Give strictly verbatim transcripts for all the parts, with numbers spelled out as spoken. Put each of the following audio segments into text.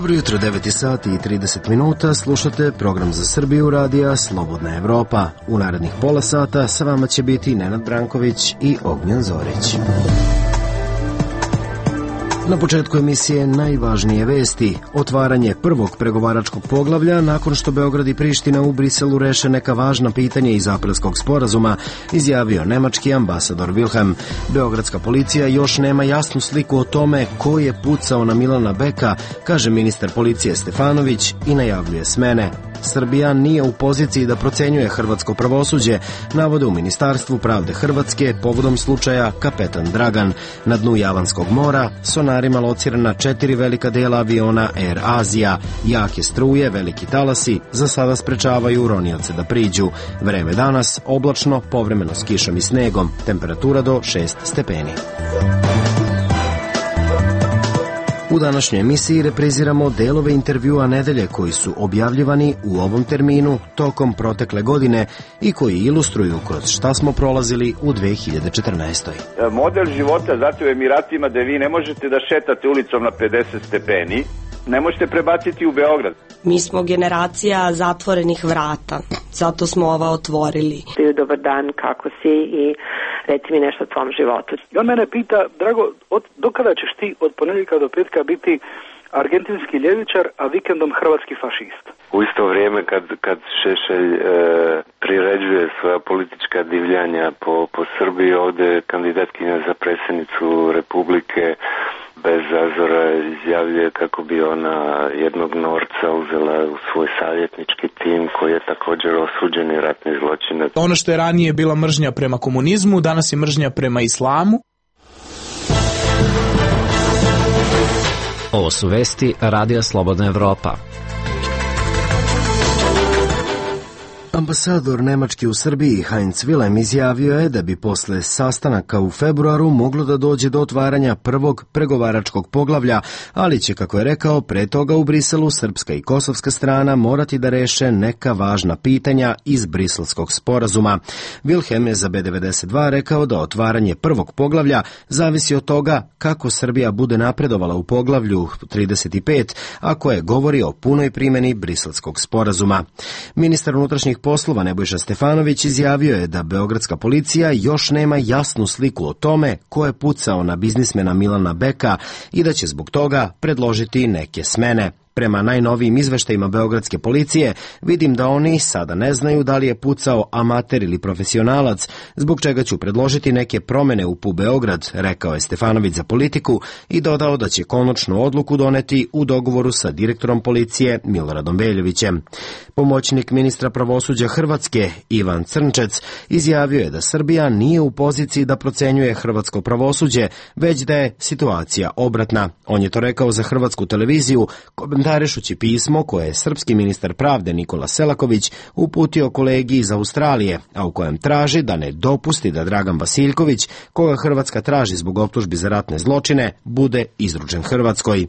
Dobro jutro, devet sati i trideset minuta, slušate program za Srbiju radija Slobodna Evropa. U narednih pola sata sa vama će biti Nenad Branković i Ognjen Zorić. Na početku emisije najvažnije vesti. Otvaranje prvog pregovaračkog poglavlja nakon što Beograd i Priština u Briselu reše neka važna pitanja iz aprilskog sporazuma, izjavio nemački ambasador Wilhelm. Beogradska policija još nema jasnu sliku o tome ko je pucao na Milana Beka, kaže ministar policije Stefanović i najavljuje smene. Srbija nije u poziciji da procenjuje hrvatsko pravosuđe, navode u Ministarstvu pravde Hrvatske povodom slučaja Kapetan Dragan. Na dnu Javanskog mora sonarima locirana četiri velika dela aviona Air Asia. Jake struje, veliki talasi za sada sprečavaju ronioce da priđu. Vreme danas oblačno, povremeno s kišom i snegom, temperatura do šest stepeni. U današnjoj emisiji repriziramo delove intervjua nedelje koji su objavljivani u ovom terminu tokom protekle godine i koji ilustruju kroz šta smo prolazili u dve hiljade četrnaestoj. Model života, znate, u Emiratima da vi ne možete da šetate ulicom na pedeset stepeni, ne možete prebaciti u Beograd. Mi smo generacija zatvorenih vrata, zato smo ova otvorili. Dobar dan, kako si i reci mi nešto o tvom životu. I on mene pita, Drago, od, dokada ćeš ti od ponedjeljka do petka biti argentinski ljevičar, a vikendom hrvatski fašist? U isto vrijeme kad, kad Šešelj e, priređuje svoja politička divljanja po, po Srbiji, ovdje kandidatkinja za predsjednicu Republike bez zazora izjavljuje kako bi ona jednog Norca uzela u svoj savjetnički tim koji je također osuđeni ratni zločinac. Ono što je ranije bila mržnja prema komunizmu, danas je mržnja prema islamu. Ovo su vesti Radija Slobodna Evropa. Ambasador Nemački u Srbiji Heinz Wilhelm izjavio je da bi posle sastanaka u februaru moglo da dođe do otvaranja prvog pregovaračkog poglavlja, ali će, kako je rekao, pre toga u Briselu srpska i kosovska strana morati da reše neka važna pitanja iz briselskog sporazuma. Wilhelm je za B devedeset dva rekao da otvaranje prvog poglavlja zavisi od toga kako Srbija bude napredovala u poglavlju trideset pet, a koje govori o punoj primjeni briselskog sporazuma. Ministar unutrašnjih poslova Nebojša Stefanović izjavio je da beogradska policija još nema jasnu sliku o tome ko je pucao na biznismena Milana Beka i da će zbog toga predložiti neke smene. Prema najnovijim izveštajima beogradske policije, vidim da oni sada ne znaju da li je pucao amater ili profesionalac, zbog čega ću predložiti neke promene u P U Beograd, rekao je Stefanović za Politiku i dodao da će konačnu odluku doneti u dogovoru sa direktorom policije Miloradom Veljovićem. Pomoćnik ministra pravosuđa Hrvatske Ivan Crnčec izjavio je da Srbija nije u poziciji da procenjuje hrvatsko pravosuđe, već da je situacija obratna. On je to rekao za hrvatsku televiziju, komentarišući pismo koje je srpski ministar pravde Nikola Selaković uputio kolegi iz Australije, a u kojem traži da ne dopusti da Dragan Vasiljković, koga Hrvatska traži zbog optužbi za ratne zločine, bude izručen Hrvatskoj.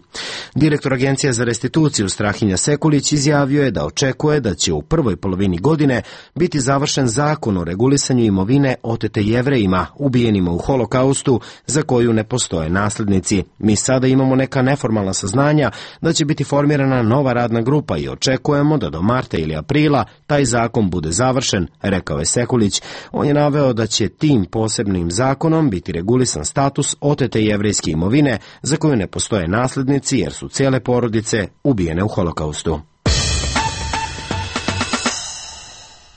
Direktor Agencije za restituciju Strahinja Sekulić izjavio je da očekuje da će u prvoj polovini godine biti završen zakon o regulisanju imovine otete Jevrejima, ubijenima u Holokaustu, za koju ne postoje naslednici. Mi sada imamo neka neformalna saznanja da će biti formirana nova radna grupa i očekujemo da do marta ili aprila taj zakon bude završen, rekao je Sekulić. On je naveo da će tim posebnim zakonom biti regulisan status otete jevrejske imovine za koju ne postoje naslednici jer su cijele porodice ubijene u Holokaustu.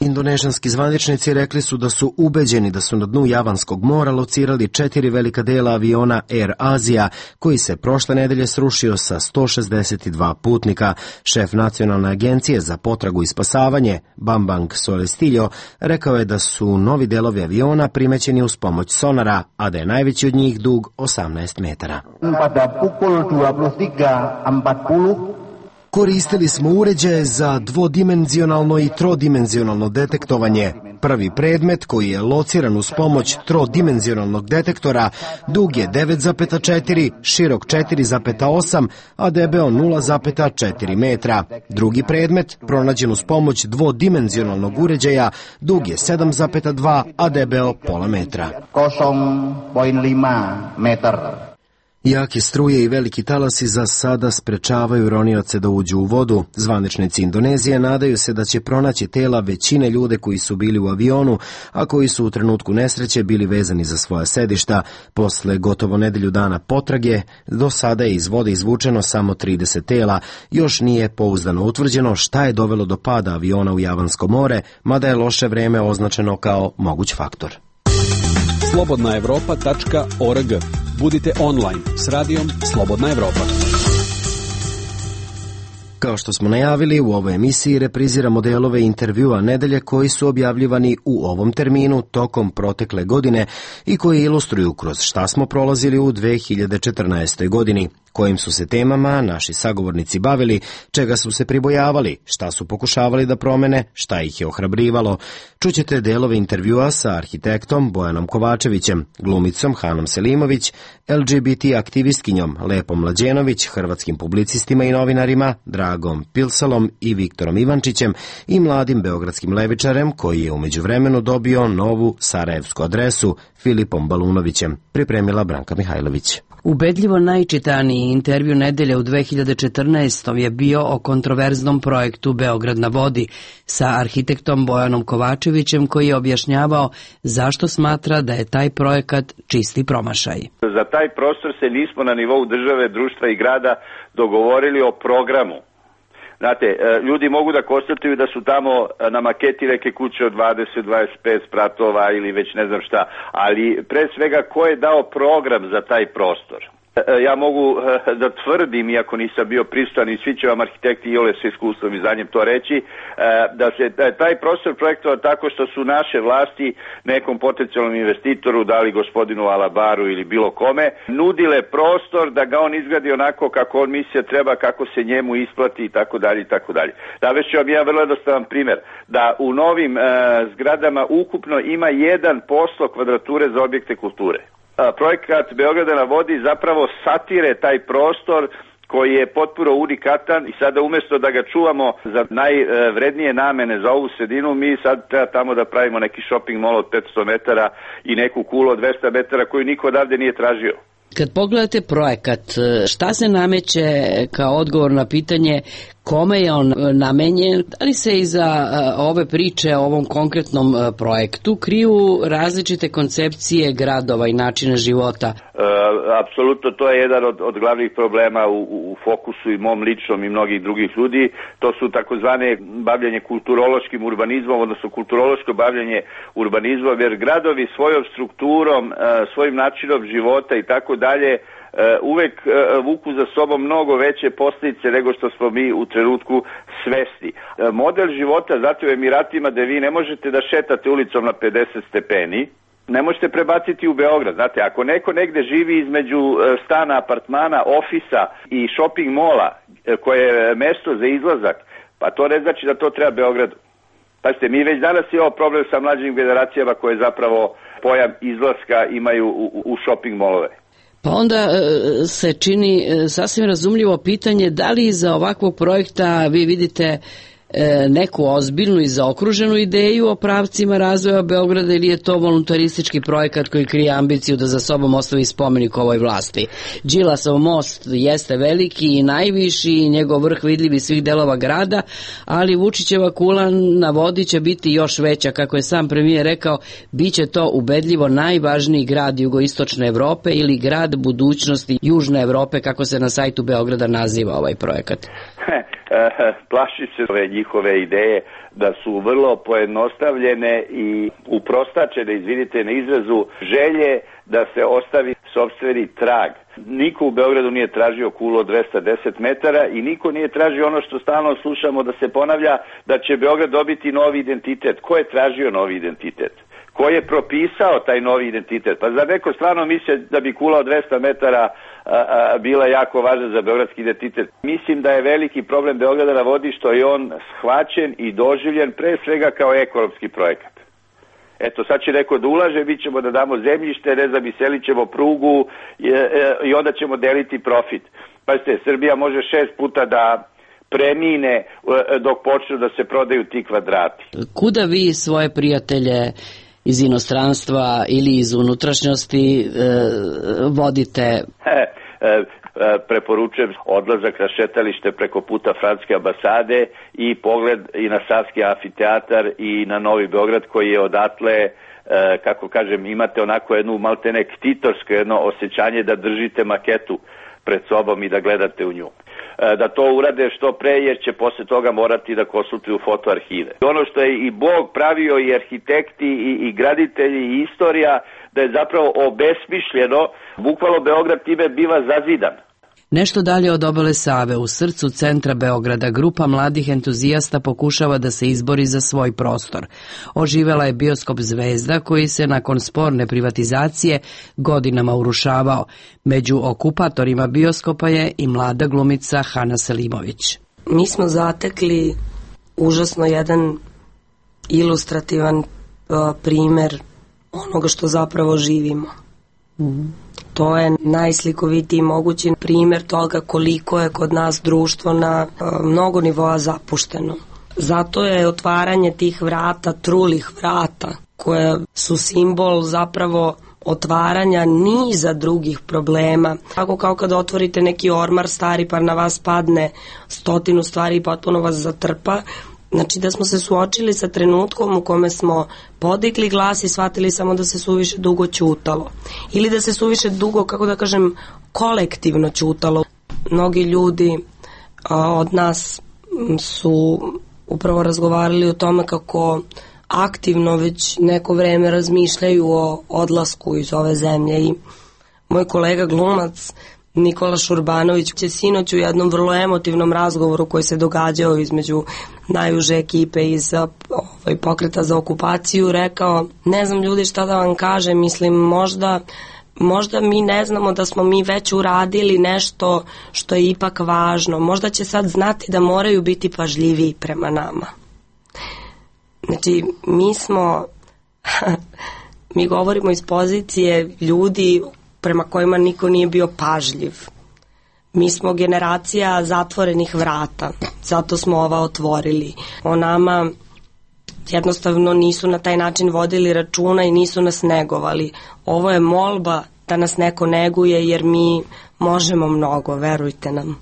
Indonežanski zvaničnici rekli su da su ubeđeni da su na dnu Javanskog mora locirali četiri velika dela aviona Air Asia, koji se prošle nedelje srušio sa sto šezdeset dva putnika. Šef Nacionalne agencije za potragu i spasavanje, Bambang Solestiljo, rekao je da su novi delovi aviona primećeni uz pomoć sonara, a da je najveći od njih dug osamnaest metara. Pada pukul dua puluh tiga empat puluh Koristili smo uređaje za dvodimenzionalno i trodimenzionalno detektovanje. Prvi predmet, koji je lociran uz pomoć trodimenzionalnog detektora, dug je devet zarez četiri, širok četiri zarez osam, a debeo nula zarez četiri metra. Drugi predmet, pronađen uz pomoć dvodimenzionalnog uređaja, dug je sedam zarez dva, a debeo pola metra. nol zarez lima meter. Jake struje i veliki talasi za sada sprečavaju ronioce da uđu u vodu. Zvaničnici Indonezije nadaju se da će pronaći tela većine ljude koji su bili u avionu, a koji su u trenutku nesreće bili vezani za svoja sedišta. Posle gotovo nedelju dana potrage, do sada je iz vode izvučeno samo trideset tela. Još nije pouzdano utvrđeno šta je dovelo do pada aviona u Javansko more, mada je loše vreme označeno kao moguć faktor. slobodna evropa tačka org. Budite online s radijom Slobodna Evropa. Kao što smo najavili, u ovoj emisiji repriziramo delove intervjua nedelje koji su objavljivani u ovom terminu tokom protekle godine i koji ilustruju kroz šta smo prolazili u dve hiljade četrnaestoj. godini, kojim su se temama naši sagovornici bavili, čega su se pribojavali, šta su pokušavali da promene, šta ih je ohrabrivalo. Čućete delove intervjua sa arhitektom Bojanom Kovačevićem, glumicom Hanom Selimović, L G B T aktivistkinjom Lepom Mlađenović, hrvatskim publicistima i novinarima Dragom Pilsalom i Viktorom Ivančićem i mladim beogradskim levičarem koji je u međuvremenu dobio novu sarajevsku adresu Filipom Balunovićem, pripremila Branka Mihajlović. Ubedljivo najčitaniji intervju nedelje u dve hiljade četrnaestoj. je bio o kontroverznom projektu Beograd na vodi sa arhitektom Bojanom Kovačevićem koji je objašnjavao zašto smatra da je taj projekat čisti promašaj. Za taj prostor se nismo na nivou države, društva i grada dogovorili o programu. Znate, ljudi mogu da konstatuju da su tamo na maketi neke kuće od dvadeset do dvadeset pet spratova ili već ne znam šta, ali pre svega ko je dao program za taj prostor? Ja mogu da tvrdim, iako nisam bio prisutan i svi će vam arhitekti i ole sa iskustvom i znanjem to reći, da se taj prostor projektovao tako što su naše vlasti nekom potencijalnom investitoru, dali gospodinu Alabaru ili bilo kome, nudile prostor da ga on izgradi onako kako on misli treba, kako se njemu isplati i tako dalje i tako dalje. Navešću vam jedan vrlo jednostavan primjer, da u novim zgradama ukupno ima jedan posto kvadrature za objekte kulture. Projekat Beograda na vodi zapravo satire taj prostor koji je potpuno unikatan i sada umjesto da ga čuvamo za najvrednije namene za ovu sredinu, mi sad treba tamo da pravimo neki shopping mall od petsto metara i neku kulu od dvesta metara koju niko odavde nije tražio. Kad pogledate projekat, šta se nameće kao odgovor na pitanje kome je on namenjen? Da li se iza ove priče o ovom konkretnom projektu kriju različite koncepcije gradova i načina života? E, apsolutno, to je jedan od, od glavnih problema u, u fokusu i mom ličnom i mnogih drugih ljudi. To su takozvane bavljanje kulturološkim urbanizmom, odnosno kulturološko bavljanje urbanizmom, jer gradovi svojom strukturom, svojim načinom života i tako dalje uvek vuku za sobom mnogo veće posljedice nego što smo mi u trenutku svesni. Model života, znate, u Emiratima gde vi ne možete da šetate ulicom na pedeset stepeni, ne možete prebaciti u Beograd. Znate, ako neko negde živi između stana, apartmana, ofisa i shopping mola koje je mesto za izlazak, pa to ne znači da to treba Beogradu. Pazite, mi već danas imamo problem sa mlađim generacijama koje zapravo pojam izlaska imaju u, u shopping molove. Pa onda se čini sasvim razumljivo pitanje da li iza ovakvog projekta vi vidite neku ozbiljnu i zaokruženu ideju o pravcima razvoja Beograda ili je to voluntaristički projekat koji krije ambiciju da za sobom ostavi spomenik ovoj vlasti. Đilasov most jeste veliki i najviši i njegov vrh vidljiv iz svih delova grada, ali Vučićeva kula na vodi će biti još veća, kako je sam premijer rekao, bit će to ubedljivo najvažniji grad jugoistočne Evrope ili grad budućnosti južne Evrope, kako se na sajtu Beograda naziva ovaj projekat. Plaši se ove njihove ideje da su vrlo pojednostavljene i uprostačene, izvinite na izrazu, želje da se ostavi sopstveni trag. Niko u Beogradu nije tražio kulu od dvesta deset metara i niko nije tražio ono što stalno slušamo da se ponavlja, da će Beograd dobiti novi identitet. Ko je tražio novi identitet? Ko je propisao taj novi identitet? Pa zar neko stvarno misle da bi kula od dvesta metara a, a, bila jako važna za beogradski identitet? Mislim da je veliki problem Beograda na vodi što je on shvaćen i doživljen pre svega kao ekonomski projekat. Eto, sad će neko da ulaže, mi ćemo da damo zemljište, ne znam, iselit ćemo prugu i, i onda ćemo deliti profit. Pazite, Srbija može šest puta da premine dok počnu da se prodaju ti kvadrati. Kuda vi svoje prijatelje iz inostranstva ili iz unutrašnjosti e, vodite? E, preporučujem odlazak na šetalište preko puta Francuske ambasade i pogled i na Savski amfiteatar i na Novi Beograd koji je odatle, kako kažem, imate onako jednu maltene ktitorsko jedno osjećanje da držite maketu pred sobom i da gledate u nju. Da to urade što pre, jer će posle toga morati da konsultuju fotoarhive. Ono što je i Bog pravio, i arhitekti i, i graditelji i istorija, da je zapravo obesmišljeno, bukvalno Beograd time biva zazidan. Nešto dalje od obale Save, u srcu centra Beograda, grupa mladih entuzijasta pokušava da se izbori za svoj prostor. Oživela je bioskop Zvezda, koji se nakon sporne privatizacije godinama urušavao. Među okupatorima bioskopa je i mlada glumica Hana Selimović. Mi smo zatekli užasno jedan ilustrativan uh, primer onoga što zapravo živimo. Mm. To je najslikovitiji mogući primjer toga koliko je kod nas društvo na uh, mnogo nivoa zapušteno. Zato je otvaranje tih vrata, trulih vrata, koje su simbol zapravo otvaranja niza drugih problema. Tako kao kad otvorite neki ormar stari pa na vas padne stotinu stvari i potpuno vas zatrpa. Znači da smo se suočili sa trenutkom u kome smo podigli glas i shvatili samo da se suviše dugo ćutalo. Ili da se suviše dugo, kako da kažem, kolektivno ćutalo. Mnogi ljudi a, od nas su upravo razgovarali o tome kako aktivno već neko vreme razmišljaju o odlasku iz ove zemlje. I moj kolega glumac Nikola Šurbanović će sinoć u jednom vrlo emotivnom razgovoru koji se događao između najuže ekipe iz ovaj, pokreta za okupaciju rekao, ne znam ljudi šta da vam kažem, mislim možda, možda mi ne znamo da smo mi već uradili nešto što je ipak važno, možda će sad znati da moraju biti pažljiviji prema nama. Znači mi smo, mi govorimo iz pozicije ljudi prema kojima niko nije bio pažljiv. Mi smo generacija zatvorenih vrata, zato smo ova otvorili. O nama jednostavno nisu na taj način vodili računa i nisu nas negovali. Ovo je molba da nas neko neguje jer mi možemo mnogo, verujte nam.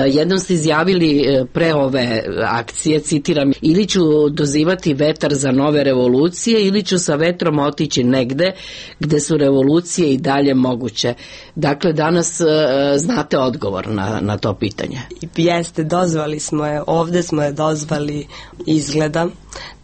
Jednom ste izjavili pre ove akcije, citiram, ili ću dozivati vetar za nove revolucije ili ću sa vetrom otići negde gde su revolucije i dalje moguće. Dakle, danas znate odgovor na, na to pitanje. Jeste, dozvali smo je, ovde smo je dozvali izgleda,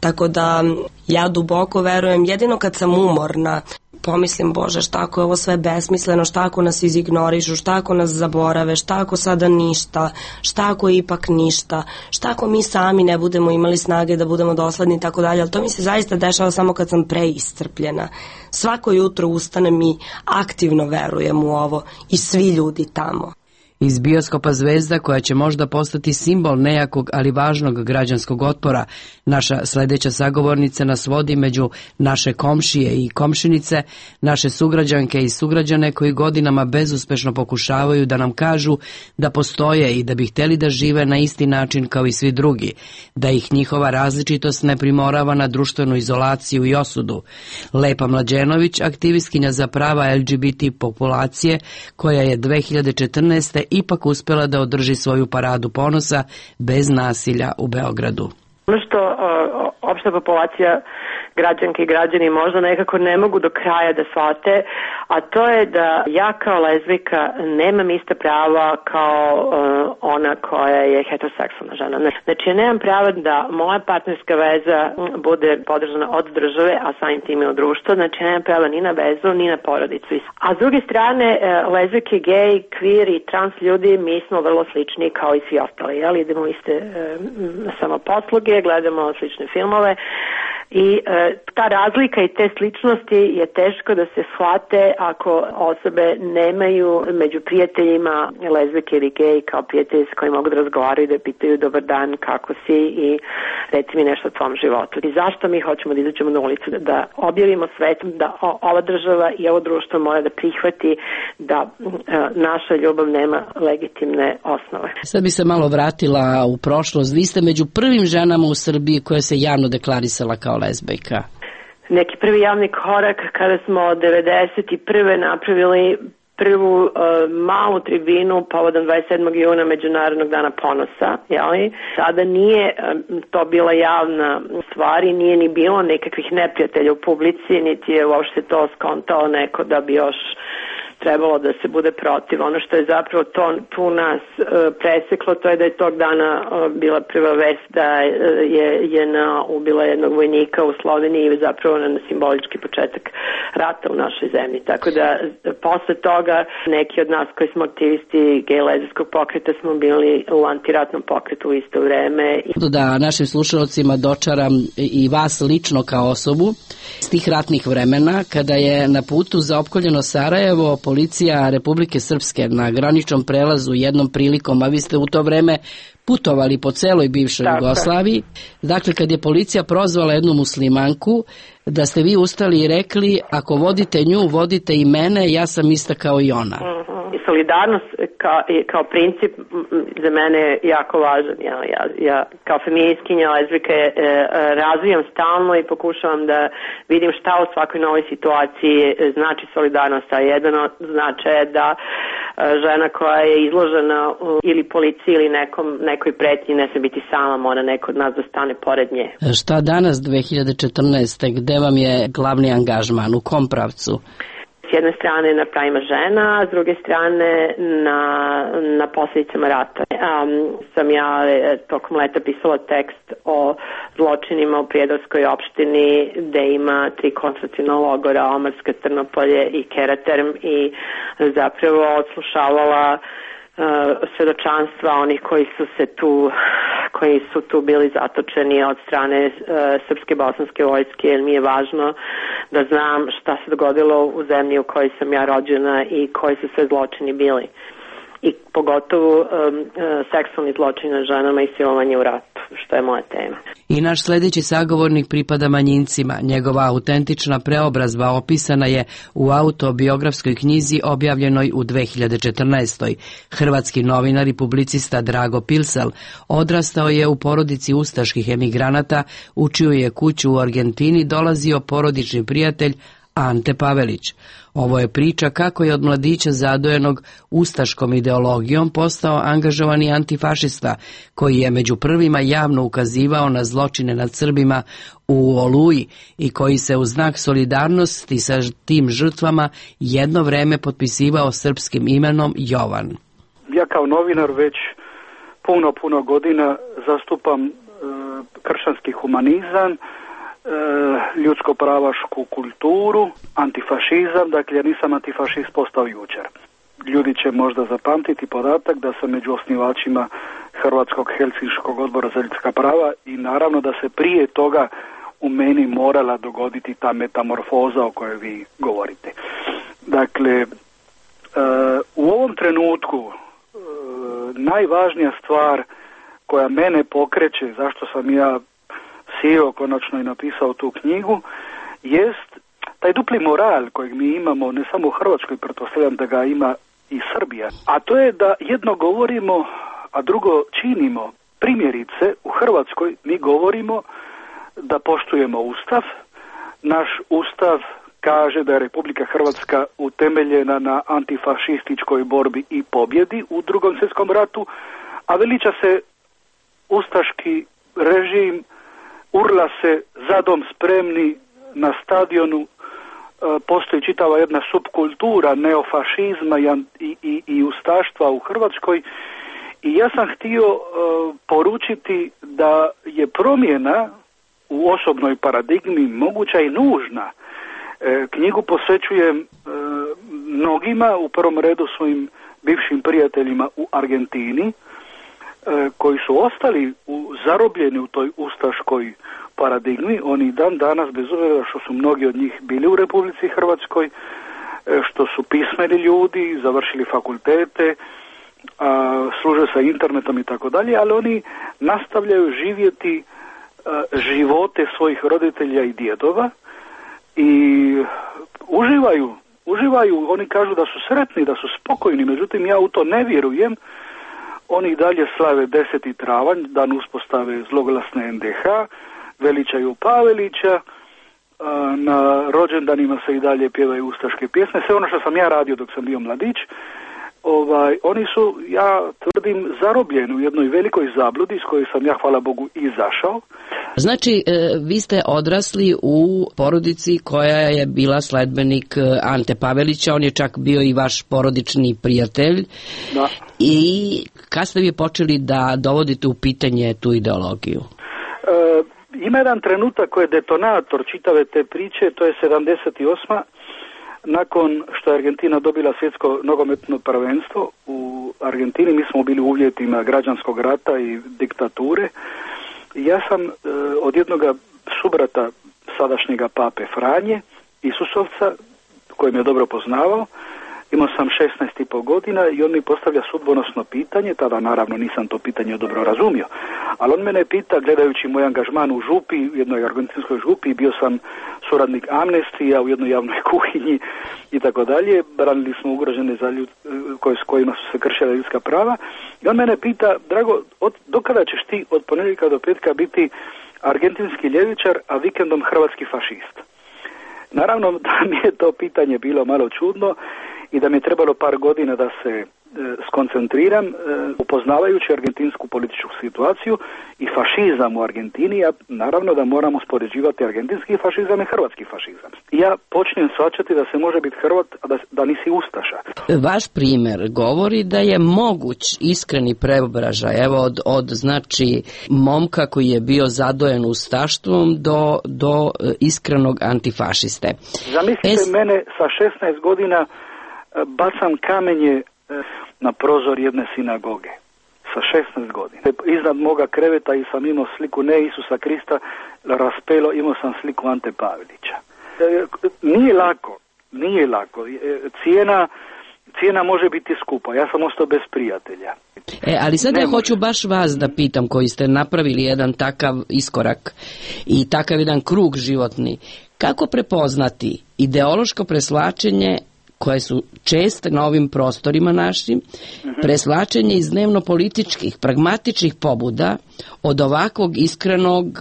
tako da ja duboko verujem, jedino kad sam umorna, pomislim, Bože, šta ako je ovo sve besmisleno, šta ako nas izignorišu, šta ako nas zaborave, šta ako sada ništa, šta ako ipak ništa, šta ako mi sami ne budemo imali snage da budemo dosledni i tako dalje, ali to mi se zaista dešava samo kad sam preiscrpljena. Svako jutro ustanem i aktivno verujem u ovo i svi ljudi tamo. Iz bioskopa Zvezda, koja će možda postati simbol nejakog, ali važnog građanskog otpora, naša sledeća sagovornica nas vodi među naše komšije i komšinice, naše sugrađanke i sugrađane koji godinama bezuspešno pokušavaju da nam kažu da postoje i da bi hteli da žive na isti način kao i svi drugi, da ih njihova različitost ne primorava na društvenu izolaciju i osudu. Lepa Mlađenović, aktivistkinja za prava L G B T populacije, koja je dve hiljade četrnaeste. ipak uspela da održi svoju paradu ponosa bez nasilja u Beogradu. Ono što o, opšta populacija građanke i građani možda nekako ne mogu do kraja da shvate, a to je da ja kao lezbijka nemam ista prava kao uh, ona koja je heteroseksualna žena. Znači ja nemam prava da moja partnerska veza bude podržana od države, a samim tim i od društva. Znači ja nemam prava ni na vezu, ni na porodicu. A s druge strane, uh, lezbijke, gej, queer i trans ljudi, mi smo vrlo slični kao i svi ostali. Jel? Idemo iste uh, samoposluge, gledamo slične filmove. I e, ta razlika i te sličnosti je teško da se shvate ako osobe nemaju među prijateljima lezbijke ili gej kao prijatelji s kojima mogu da razgovaraju i da pitaju dobar dan, kako si i reci mi nešto o tvom životu. I zašto mi hoćemo da izađemo na ulicu, da, da objavimo svetu da o, ova država i ovo društvo mora da prihvati da e, naša ljubav nema legitimne osnove. Sad bi se malo vratila u prošlost. Vi ste među prvim ženama u Srbiji koja se javno deklarisala kao lezbijka. Neki prvi javni korak kada smo devedeset prve napravili prvu uh, malu tribinu povodom dvadeset sedmog juna Međunarodnog dana ponosa, jeli? Sada nije um, to bila javna stvar i nije ni bilo nekakvih neprijatelja u publici, niti je uopšte to skontao neko da bi još trebalo da se bude protiv. Ono što je zapravo to, tu nas e, preseklo, to je da je tog dana e, bila prva vest da je JNA ubila jednog vojnika u Sloveniji i zapravo na simbolički početak rata u našoj zemlji. Tako da posle toga neki od nas koji smo aktivisti gej lezbijskog pokreta smo bili u antiratnom pokretu u isto vreme. Da našim slušalcima dočaram i vas lično kao osobu iz tih ratnih vremena, kada je na putu za opkoljeno Sarajevo policija Republike Srpske na graničnom prelazu jednom prilikom, a vi ste u to vreme putovali po celoj bivšoj Tako. Jugoslaviji. Dakle, kad je policija prozvala jednu muslimanku, da ste vi ustali i rekli, ako vodite nju, vodite i mene, ja sam ista kao i ona. Mm-hmm. Solidarnost kao, kao princip za mene je jako važan. Ja, ja, ja kao feministkinja, lezbijka e, razvijam stalno i pokušavam da vidim šta u svakoj novoj situaciji znači solidarnost. A jedan od značaja je da žena koja je izložena ili policiji ili nekom, nekoj pretnji ne sme biti sama, mora neko od nas da stane pored nje. Šta danas dve hiljade četrnaeste. Gde vam je glavni angažman? U kom pravcu? S jedne strane na pravima žena, a s druge strane na, na posljedicama rata. Um, sam ja tokom leta pisala tekst o zločinima u Prijedorskoj opštini gde ima tri koncentraciona logora, Omarska, Trnopolje i Keraterm i zapravo odslušavala Uh, svedočanstva onih koji su se tu koji su tu bili zatočeni od strane uh, srpske bosanske vojske, jer mi je važno da znam šta se dogodilo u zemlji u kojoj sam ja rođena i koji su sve zločini bili. I pogotovo um, uh, seksualni zločin na ženama i silovanje u ratu, što je moja tema. I naš sljedeći sagovornik pripada manjincima. Njegova autentična preobrazba opisana je u autobiografskoj knjizi objavljenoj u dve hiljade četrnaestoj. Hrvatski novinar i publicista Drago Pilsel odrastao je u porodici ustaških emigranata, u čiju je kuću u Argentini dolazio porodični prijatelj Ante Pavelić. Ovo je priča kako je od mladića zadojenog ustaškom ideologijom postao angažovani antifašista, koji je među prvima javno ukazivao na zločine nad Srbima u Oluji i koji se u znak solidarnosti sa tim žrtvama jedno vreme potpisivao srpskim imenom Jovan. Ja kao novinar već puno, puno godina zastupam e, kršćanski humanizam, ljudsko-pravašku kulturu, antifašizam, dakle ja nisam antifašist postao jučer. Ljudi će možda zapamtiti podatak da sam među osnivačima Hrvatskog Helsinškog odbora za ljudska prava i naravno da se prije toga u meni morala dogoditi ta metamorfoza o kojoj vi govorite. Dakle, u ovom trenutku najvažnija stvar koja mene pokreće, zašto sam ja sjeo konačno i napisao tu knjigu, jest taj dupli moral kojeg mi imamo ne samo u Hrvatskoj, pretpostavljam da ga ima i Srbija. A to je da jedno govorimo, a drugo činimo. Primjerice, u Hrvatskoj mi govorimo da poštujemo Ustav. Naš Ustav kaže da je Republika Hrvatska utemeljena na antifašističkoj borbi i pobjedi u Drugom svjetskom ratu, a veliča se ustaški režim, urla se za dom spremni na stadionu, postoji čitava jedna subkultura neofašizma i, i, i ustaštva u Hrvatskoj i ja sam htio uh, poručiti da je promjena u osobnoj paradigmi moguća i nužna. E, knjigu posvećujem e, mnogima, u prvom redu svojim bivšim prijateljima u Argentini, koji su ostali u, zarobljeni u toj ustaškoj paradigmi. Oni dan danas, bez obzira što su mnogi od njih bili u Republici Hrvatskoj, što su pismeni ljudi, završili fakultete, a, služe sa internetom i tako dalje, ali oni nastavljaju živjeti a, živote svojih roditelja i djedova i uživaju, uživaju, oni kažu da su sretni, da su spokojni, međutim ja u to ne vjerujem. Oni dalje slave deseti travanj, dan uspostave zloglasne en de ha, veličaju Pavelića, na rođendanima se i dalje pjevaju ustaške pjesme, sve ono što sam ja radio dok sam bio mladić. Ovaj, oni su, ja tvrdim, zarobljeni u jednoj velikoj zabludi iz koje sam ja, hvala Bogu, izašao. Znači, vi ste odrasli u porodici koja je bila sledbenik Ante Pavelića, on je čak bio i vaš porodični prijatelj. Da. I kad ste vi počeli da dovodite u pitanje tu ideologiju? E, ima jedan trenutak koji je detonator čitave te priče, to je sedamdeset osma Nakon što je Argentina dobila svjetsko nogometno prvenstvo u Argentini, mi smo bili u uvjetima građanskog rata i diktature. Ja sam e, od jednog subrata sadašnjega pape Franje, Isusovca, koji me je dobro poznavao, imao sam šesnaest i po godina i on mi postavlja sudbonosno pitanje, tada naravno nisam to pitanje dobro razumio, ali on mene pita, gledajući moj angažman u župi, u jednoj argentinskoj župi, bio sam suradnik Amnestija u jednoj javnoj kuhinji i tako dalje, branili smo ugrožene za ljud, koje, s kojima su se kršila ljudska prava, i on mene pita, Drago, od, dokada ćeš ti od ponedjeljka do petka biti argentinski ljevičar, a vikendom hrvatski fašist? Naravno da mi je to pitanje bilo malo čudno i da mi je trebalo par godina da se e, skoncentriram e, upoznavajući argentinsku političku situaciju i fašizam u Argentini, a naravno da moramo uspoređivati argentinski fašizam i hrvatski fašizam. Ja počnem shvaćati da se može biti Hrvat, a da, da nisi ustaša. Vaš primjer govori da je moguć iskreni preobražaj, evo od, od znači momka koji je bio zadojen ustaštvom do, do iskrenog antifašiste. Zamislite es... mene sa šesnaest godina bacam kamenje na prozor jedne sinagoge sa šesnaest godina. Iznad moga kreveta i sam imao sliku ne Isusa Krista, raspelo, imao sam sliku Ante Pavelića. Nije lako, nije lako. Cijena, cijena može biti skupa. Ja sam ostao bez prijatelja. E, ali sad ne ja može. Hoću baš vas da pitam, koji ste napravili jedan takav iskorak i takav jedan krug životni. Kako prepoznati ideološko preslačenje koje su česte na ovim prostorima našim, preslačenje iz dnevno-političkih, pragmatičnih pobuda od ovakvog iskrenog e,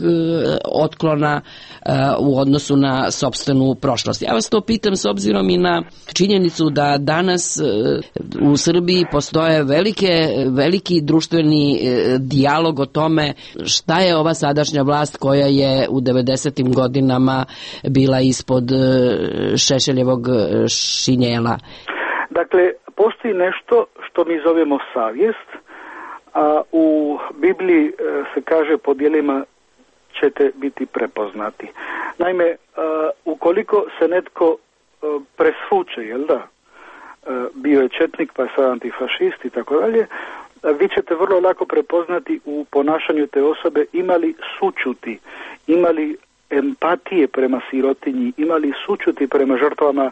otklona e, u odnosu na sopstvenu prošlost. Ja vas to pitam s obzirom i na činjenicu da danas e, u Srbiji postoje velike, veliki društveni e, dijalog o tome šta je ova sadašnja vlast koja je u devedesetim godinama bila ispod e, Šešeljevog šinjela. Dakle, postoji nešto što mi zovemo savjest, a u Bibliji se kaže po djelima ćete biti prepoznati. Naime, ukoliko se netko presvuče, jel da, bio je četnik pa je sad antifašist i tako dalje, vi ćete vrlo lako prepoznati u ponašanju te osobe imali sućuti, imali empatije prema sirotinji, imali sućuti prema žrtvama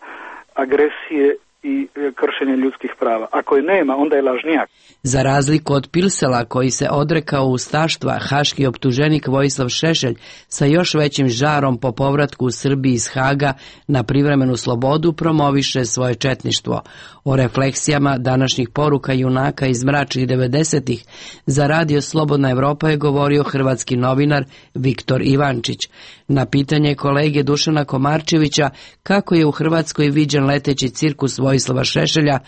agresije i kršenje ljudskih prava. Ako je nema, onda je lažnjak. Za razliku od Pilsela, koji se odrekao ustaštva, haški optuženik Vojislav Šešelj sa još većim žarom po povratku u Srbiji iz Haga na privremenu slobodu promoviše svoje četništvo. O refleksijama današnjih poruka junaka iz mračnih devedesetih za radio Slobodna Evropa je govorio hrvatski novinar Viktor Ivančić. Na pitanje kolege Dušana Komarčevića kako je u Hrvatskoj viđen leteći cirkus Vojislava Šešelja,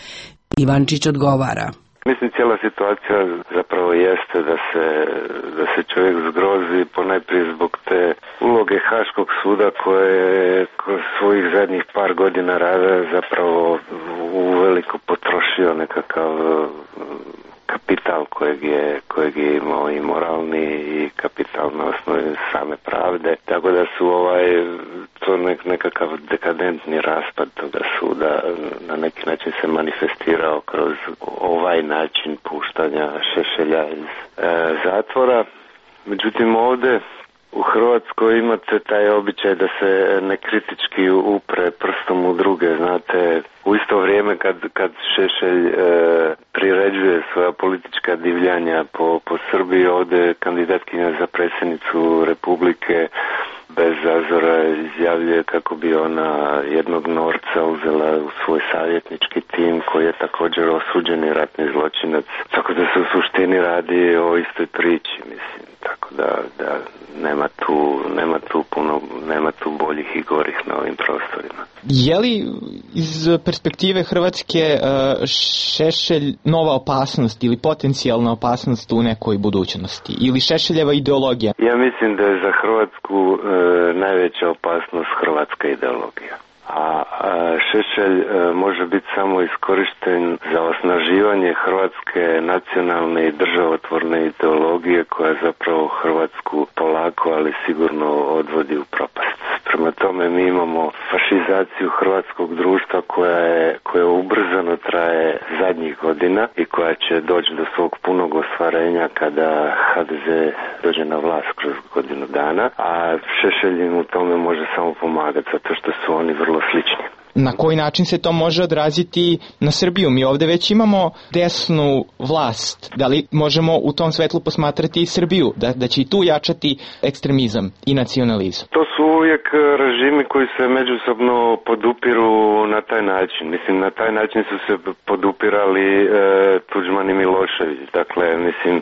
Ivančić odgovara. Mislim, cijela situacija zapravo jeste da se, da se čovjek zgrozi ponajprije zbog te uloge Haškog suda koje je kroz svojih zadnjih par godina rada zapravo uveliko potrošio nekakav kapital kojeg je, kojeg je imao i moralni i kapital na osnovi same pravde. Tako da su ovaj, to nek, nekakav dekadentni raspad toga suda na neki način se manifestirao kroz ovaj način puštanja Šešelja iz e, zatvora. Međutim, ovdje u Hrvatskoj imate taj običaj da se nekritički upre prstom u druge, znate, u isto vrijeme kad, kad Šešelj e, priređuje svoja politička divljanja po, po Srbiji, ovdje kandidatkinja za predsjednicu Republike bez zazora izjavljuje kako bi ona jednog Norca uzela u svoj savjetnički tim koji je također osuđeni ratni zločinac. Tako da se u suštini radi o istoj priči, mislim. Tako tako da, da nema tu, nema tu puno, nema tu boljih i gorih na ovim prostorima. Je li iz perspektive Hrvatske Šešelj nova opasnost ili potencijalna opasnost u nekoj budućnosti? Ili Šešeljeva ideologija? Ja mislim da je za Hrvatsku e, najveća opasnost hrvatska ideologija. A, a Šešelj e, može biti samo iskorišten za osnaživanje hrvatske nacionalne i državotvorne ideologije koja zapravo Hrvatsku polako, ali sigurno odvodi u propast. Prema tome mi imamo fašizaciju hrvatskog društva koja je, koja ubrzano traje zadnjih godina i koja će doći do svog punog ostvarenja kada ha de ze dođe na vlast kroz godinu dana, a Šešelj im u tome može samo pomagati zato što su oni vrlo slični. Na koji način se to može odraziti na Srbiju? Mi ovde već imamo desnu vlast. Da li možemo u tom svetlu posmatrati i Srbiju? Da, da će i tu jačati ekstremizam i nacionalizam? To su uvijek režimi koji se međusobno podupiru na taj način. Mislim, na taj način su se podupirali e, Tuđman i Milošević. Dakle, mislim,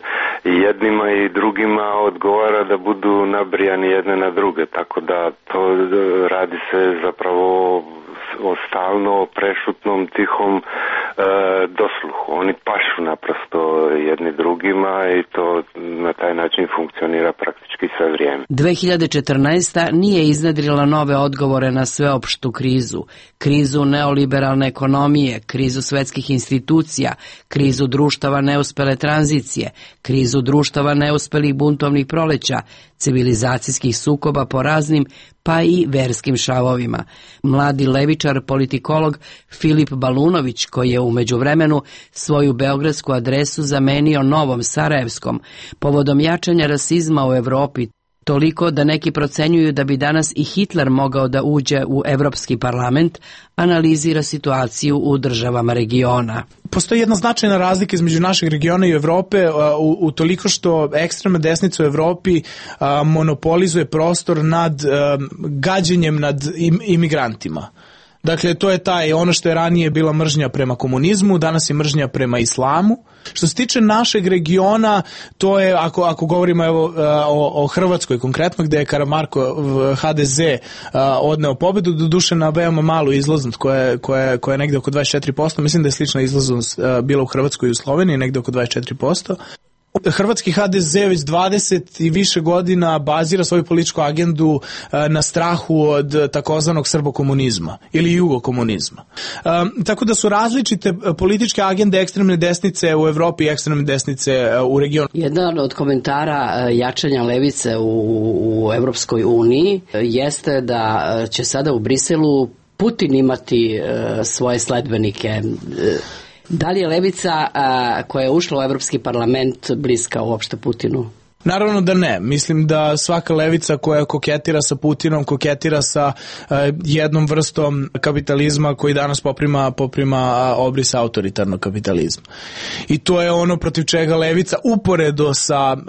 i jednima i drugima odgovara da budu nabrijani jedne na druge. Tako da to radi se zapravo o stalno prešutnom tihom e, dosluhu. Oni pašu naprosto jedni drugima i to na taj način funkcionira praktički sve vrijeme. dve hiljade četrnaesta. nije iznedrila nove odgovore na sveopštu krizu. Krizu neoliberalne ekonomije, krizu svetskih institucija, krizu društava neuspele tranzicije, krizu društava neuspelih buntovnih proleća, civilizacijskih sukoba po raznim pa i verskim šavovima. Mladi levičar, politikolog Filip Balunović, koji je u međuvremenu svoju beogradsku adresu zamenio novom sarajevskom, povodom jačanja rasizma u Evropi, toliko da neki procenjuju da bi danas i Hitler mogao da uđe u Evropski parlament, analizira situaciju u državama regiona. Postoji jedna značajna razlika između našeg regiona i Evrope u, u toliko što ekstremna desnica u Evropi a, monopolizuje prostor nad a, gađenjem nad im, imigrantima. Dakle, to je taj, ono što je ranije bila mržnja prema komunizmu, danas je mržnja prema islamu. Što se tiče našeg regiona, to je, ako, ako govorimo evo, o, o Hrvatskoj konkretno, gde je Karamarko ha de ze odneo pobedu, doduše na veoma malu izlaznost koja je, koja je, koja je negde oko dvadeset četiri posto, mislim da je slična izlaznost bila u Hrvatskoj i u Sloveniji, negde oko dvadeset četiri posto. Hrvatski ha de ze već dvadeset i više godina bazira svoju političku agendu na strahu od takozvanog srbokomunizma ili jugokomunizma. Um, tako da su različite političke agende ekstremne desnice u Evropi i ekstremne desnice u regionu. Jedan od komentara jačanja levice u, u Evropskoj uniji jeste da će sada u Briselu Putin imati uh, svoje sledbenike. Da li je levica a, koja je ušla u Evropski parlament bliska uopšte Putinu? Naravno da ne. Mislim da svaka levica koja koketira sa Putinom, koketira sa uh, jednom vrstom kapitalizma koji danas poprima, poprima obris autoritarnog kapitalizma. I to je ono protiv čega levica uporedo sa, uh,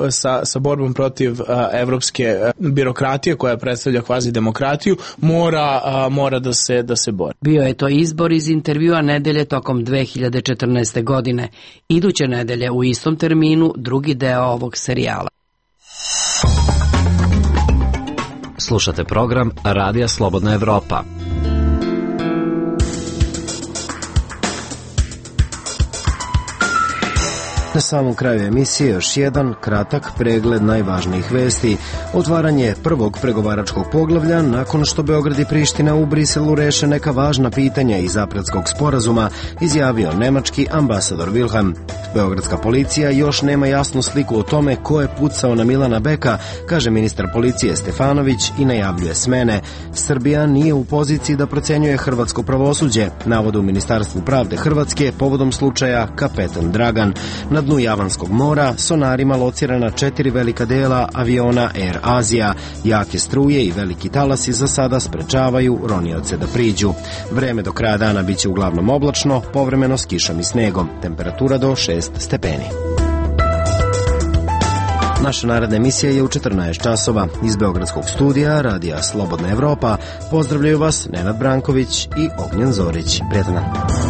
sa, sa borbom protiv uh, evropske birokratije koja predstavlja kvazi demokratiju, mora, uh, mora da se, da se bori. Bio je to izbor iz intervjua nedelje tokom dve hiljade četrnaeste. godine. Iduće nedelje u istom terminu drugi deo ovog serijala. Slušate program Radija Slobodna Evropa. Na samom kraju emisije još jedan kratak pregled najvažnijih vesti. Otvaranje prvog pregovaračkog poglavlja nakon što Beograd i Priština u Briselu reše neka važna pitanja iz Apratskog sporazuma, izjavio nemački ambasador Wilhelm. Beogradska policija još nema jasnu sliku o tome ko je pucao na Milana Beka, kaže ministar policije Stefanović i najavljuje smene. Srbija nije u poziciji da procenjuje hrvatsko pravosuđe, navode u Ministarstvu pravde Hrvatske povodom slučaja Kapetan Dragan. Na dnu Javanskog mora sonarima locirana četiri velika dela aviona Air Azija. Jake struje i veliki talasi za sada sprečavaju ronioce da priđu. Vreme do kraja dana biće uglavnom oblačno, povremeno s kišom i snegom. Temperatura do šest stepeni. Naša naredna emisija je u četrnaest časova. Iz Beogradskog studija Radija Slobodna Evropa pozdravljaju vas Nenad Branković i Ognjen Zorić. Prijetan dan.